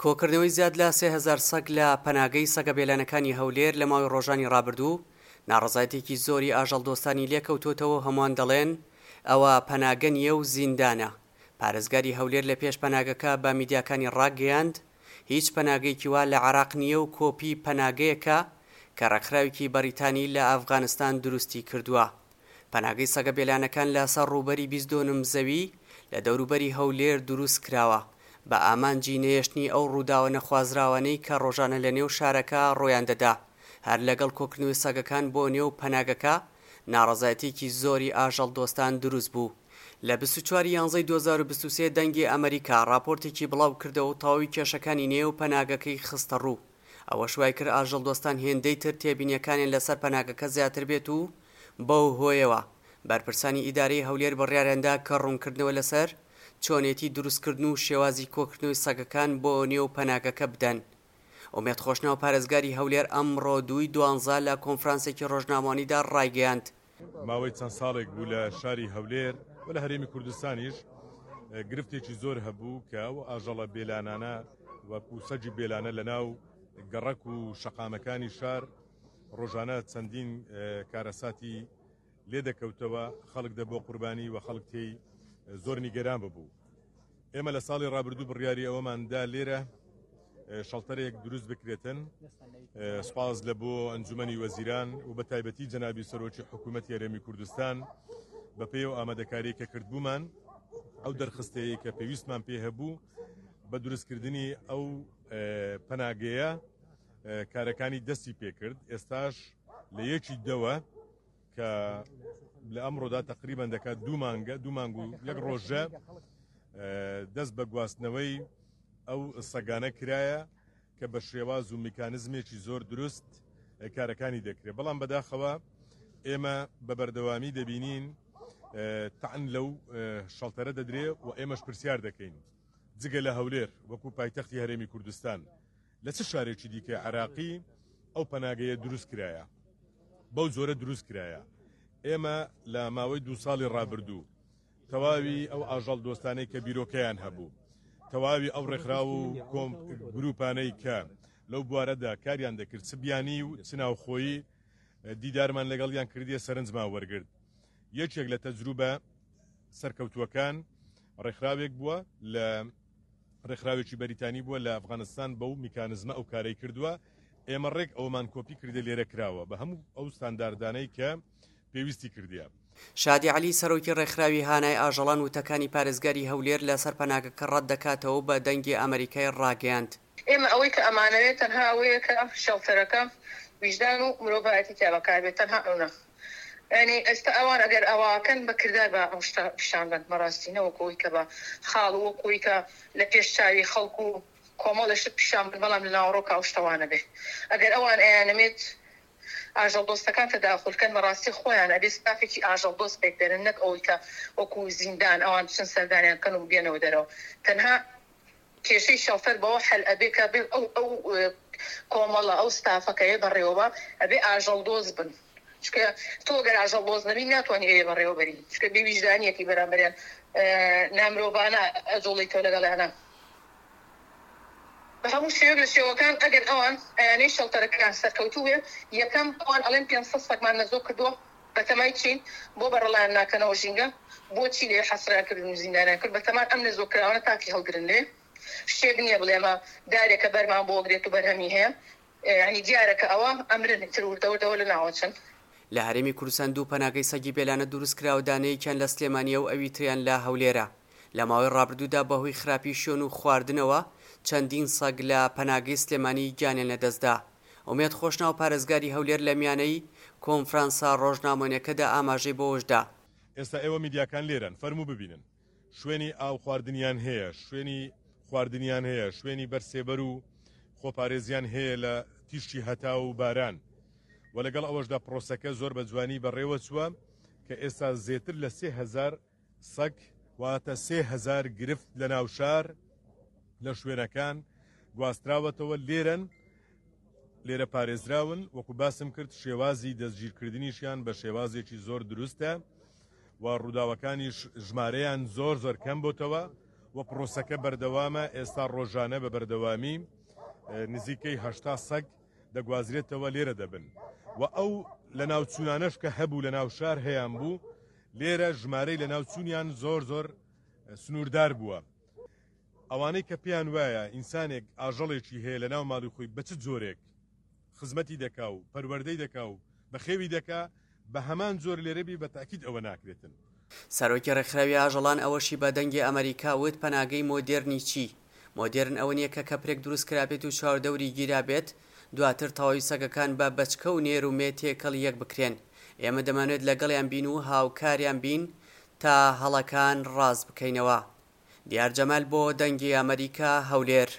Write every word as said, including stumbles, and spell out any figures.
کۆکردنەوەی زیاد لە سێ هەزار سەگ لە پەناگەی سەگە بێلانەکانی هەولێر لە ماوەی ڕۆژانی ڕابردوو ناڕەزایەتییەکی زۆری ئاژەڵدۆستانی لێکەوتۆتەوە و هەمووان دەڵێن ئەوە پەناگە نییە و زیندانە. پارێزگاری هەولێر لە پێش پەناگەکە بە میدیاکانی ڕاگەیاند، هیچ پەناگەیەکی وا لە عێراق نییە و کۆپی پەناگەیەکە کە ڕێکخراوێکی بەریتانی لە ئەفغانستان دروستی کردووە. پەناگەی سەگە بێلانەکان لەسەر ڕووبەری بیست دۆنم زەوی لە دەوروبەری هەولێر دروست کراوە بە ئامانجی نەهێشتنی ئەو ڕووداوە نەخوازراوانەی کە ڕۆژانە لە نێو شارەکە ڕوویان دەدا. هەر لەگەڵ کۆکردنەوەی سەگەکان بۆ نێو پەناگەکە ناڕەزایەتییەکی زۆری ئاژەڵدۆستان دروست بوو. لە بیست و چوار ی یانزەی دوو هەزار و بیست و سێ دەنگی ئەمەریکا ڕاپۆرتێکی بڵاو کردەوە و تەواوی کێشەکانی نێو پەناگەکەی خستە ڕوو. ئەوەش وای کرد ئاژەڵدۆستان هێندەی تر تێبینیەکانیان لەسەر پەناگەکە زیاتر بێت و بەو هۆیەوە بەرپرسانی ئیدارەی هەولێر بڕیاریاندا کە ڕوونکردنەوە لەسەر چۆنێتی دروستکردن و شێوازی کۆکردنەوەی سەگەکان بۆ نێو پەناگەکە بدەن. ئومێد خۆشناو پارێزگاری هەولێر ئەمڕۆ دووی دوانزە لە کۆنفرانسێکی ڕۆژنامەوانیدا ڕایگەیاند، ماوەی چەند ساڵێک بوو لە شاری هەولێر و لە هەرێمی کوردستانیش گرفتێکی زۆر هەبوو کە ئەو ئاژەڵە بێلانانە وەکو سەگی بێلانە لە ناو گەڕەک و شەقامەکانی شار ڕۆژانە چەندین کارەساتی لێ دەکەوتەوە، خەڵک دەبووە قوربانی و خەڵک تێی زۆر نیگەران ببوو. ئێمە لە ساڵی ڕابردوو بڕیاری ئەوەمان دا لێرە شەڵتەرێک دروست بکرێتن. سپاس لە بۆ ئەنجومەنی وەزیران و بە تایبەتی جەنابی سەرۆکی حکوومەتی هەرێمی کوردستان بە پێی ئەو ئامادەکاری کە کردبوومان ئەو دەرخستەیە کە پێویستمان پێ هەبوو بە دروستکردنی ئەو پەناگەیە کارەکانی دەستی پێکرد. ئێستاش لە یەکی دەوە کە لە ئەمڕۆدا تقریبان دەکات دوو مانگە، دوو مانگ و یەک ڕۆژە دەست بە گواستنەوەی ئەو سەگانە کرایە کە بە شێواز و میکانزمێکی زۆر دروست کارەکانی دەکرێت. بەڵام بەداخەوە ئێمە بە بەردەوامی دەبینین تەعن لەو شەڵتەرە دەدرێ و ئێمەش پرسیار دەکەین جگە لە هەولێر وەکو پایتەختی هەرێمی کوردستان لە چ شارێکی دیکە عراقی ئەو پەناگەیە دروست کرایە، بەو جۆرە دروست کرایە؟ ئێمە لە ماوەی دوو ساڵی ڕابردوو تەواوی ئەو ئاژەڵ دۆستانەی کە بیرۆکەیان هەبوو، تەواوی ئەو ڕێکخراو و کۆم گروپانەی کە لەو بوارەدا کاریان دەکرد، چ بیانی و چ ناوخۆیی، دیدارمان لەگەڵیان کردیە، سەرنجمان وەرگرت. یەکێک لە تەجروبە سەرکەوتووەکان ڕێکخراوێک بووە لە ڕێکخراوێکی بەریتانی بووە لە ئەفغانستان بەو میکانزمە ئەو کارەی کردووە. ئێمە ڕێک ئەومان کۆپی کردە لێرە کراوە بە هەموو ئەو ستانداردانەی کە پێویستی کردیە. شادی عەلی سەرۆکی ڕێکخراوی هانای ئاژەڵان وتەکانی پارێزگاری هەولێر لەسەر پەناگەکە ڕەتدەکاتەوە و بە دەنگی ئەمەریکای ڕاگەیاند، ئێمە ئەوەی کە ئەمانەوێت تەنها ئەوەیە کە شێڵتەرەکە ویژدان و مرۆڤایەتی تیا بەکاربێت تەنها ئەونە یانی ئێستا ئەوان ئەگەر ئەواکەن بە کردار با ئەو شتە پیشان بەن بەڕاستی نەوەک ئەوەی کە بە خاڵ و وەکو ئەوەی کە لە پێش چاوی خەڵک و کۆمەڵێ شت پیشان بن بەڵام لە ناوەڕۆکا ئەو شتە وا نەبێ ئەگەر ئەوان ئەیانەوێت ئاژەڵ دۆستەکان تەداخول کەن بەڕاستی خۆیان ئەبێ ستافێکی ئاژەڵ دۆست پێک بێنن نەک ئەوەی کە وەکو زیندان ئەوان بچن سەردانیان کەن و بێنەوە دەرەوە تەنها کێشەی شەڵتەر بەوە حەل ئەبێ کە بێ ئەو ئەو کۆمەڵە ئەو ستافە کە ئێ بەڕێوەبا ئەبێ ئاژەڵ دۆست بن چونکە تۆ گەر ئاژەڵ دۆست نەبی ناتوانی ئەوێ بەڕێوەبەری چونکە بێ ویژدانیەکی بەرامبەریان نامرۆڤانە ئەجوڵیتەوە لەگەڵیانا. بە هەموو شێوەیەک لە شێوەکان ئەگەر ئەوان ئەیانەی شەڵتەرەکەیان سەرکەوتوو بێ یەکەم ئەوان ئەڵێن پێنج سەد سەگمان نەزۆک کردووە بەتەمای چین بۆ بەڕەڵایان ناکەنەوە ژینگە بۆچی لێ حەسریان کردن و زیندانیان کرد بەتەمان ئەم نەزۆک کراوانە تاکی هەڵگرن لێ شتێک نییە بڵێ ئەمە دارێکە بەرمان بۆ گرێت و بەرهەمی هەیە یانی دیارە کە ئەوە ئەمرن ئیتر وردە وردەوە لەناوەچن. لە هەرێمی کوردستان دوو پەناگەی سەگی بێلانە دروستکراوە، دانەیەکیان لە سلێمانییە و ئەوی تریان لە هەولێرە. لە ماوەی ڕابردوودا بەهۆی خراپی شوێن و خواردنەوە چەندین سەگ لە پەناگەی سلێمانی گیانیان لەدەستدا. ئومێد خۆشناو پارێزگاری هەولێر لە میانەی کۆنفرانسە ڕۆژنامەوانیەکەدا ئاماژەی بەوەشدا، ئێستا ئێوە میدیاکان لێرەن فەرموو ببینن شوێنی ئاو خواردنیان هەیە، شوێنی خواردنیان هەیە، شوێنی بەر سێبەر و خۆپارێزیان هەیە لە تیشکی هەتاو و باران و لەگەڵ ئەوەشدا پرۆسەکە زۆر بە جوانی بەڕێوە چووە کە ئێستا زێتر لە سێ هەزار سەگ واتە سێ هەزار گرفت لە ناو شار لە شوێنەکان گواستراوەتەوە لێرەن لێرە پارێزراون وەکو باسم کرد شێوازی دەستگیرکردنیشیان بە شێوازێکی زۆر دروستە و ڕووداوەکانیش ژمارەیان زۆر زۆر کەم بۆتەوە و پرۆسەکە بەردەوامە، ئێستا ڕۆژانە بە بەردەوامی نزیکەی هەشتا سەگ دەگوازرێتەوە لێرە دەبن و ئەو لەناوچوونانەش کە هەبوو لەناو شار هەیان بوو لێرە ژمارەی لەناوچوونیان زۆر زۆر سنووردار بووە. ئەوانەی کە پێیان وایە ئینسانێک ئاژەڵێکی هەیە لەناو ماڵی خۆی بە چ جۆرێک خزمەتی دەکا و پەروەردەی دەکا و بەخێوی دەکا بە هەمان جۆر لێرە بی بە تاکید ئەوە ناکرێتن. سەرۆکی ڕێکخراوی ئاژەڵان ئەوەشی بە دەنگی ئەمەریکا وت پەناگەی مۆدێرنی چی؟ مۆدێرن ئەوە نییە کە کەپرێک دروست کرابێت و چواردەوری گیرابێت دواتر تەواوی سەگەکان بە بەچکە و نێر و مێ تێکەڵی یەک بکرێن. ئێمە دەمانەوێت لەگەڵیان بین و هاوکاریان بین تا هەڵەکان ڕاست بکەینەوە. دیار جەمال بۆ دەنگی ئەمەریکا، هەولێر.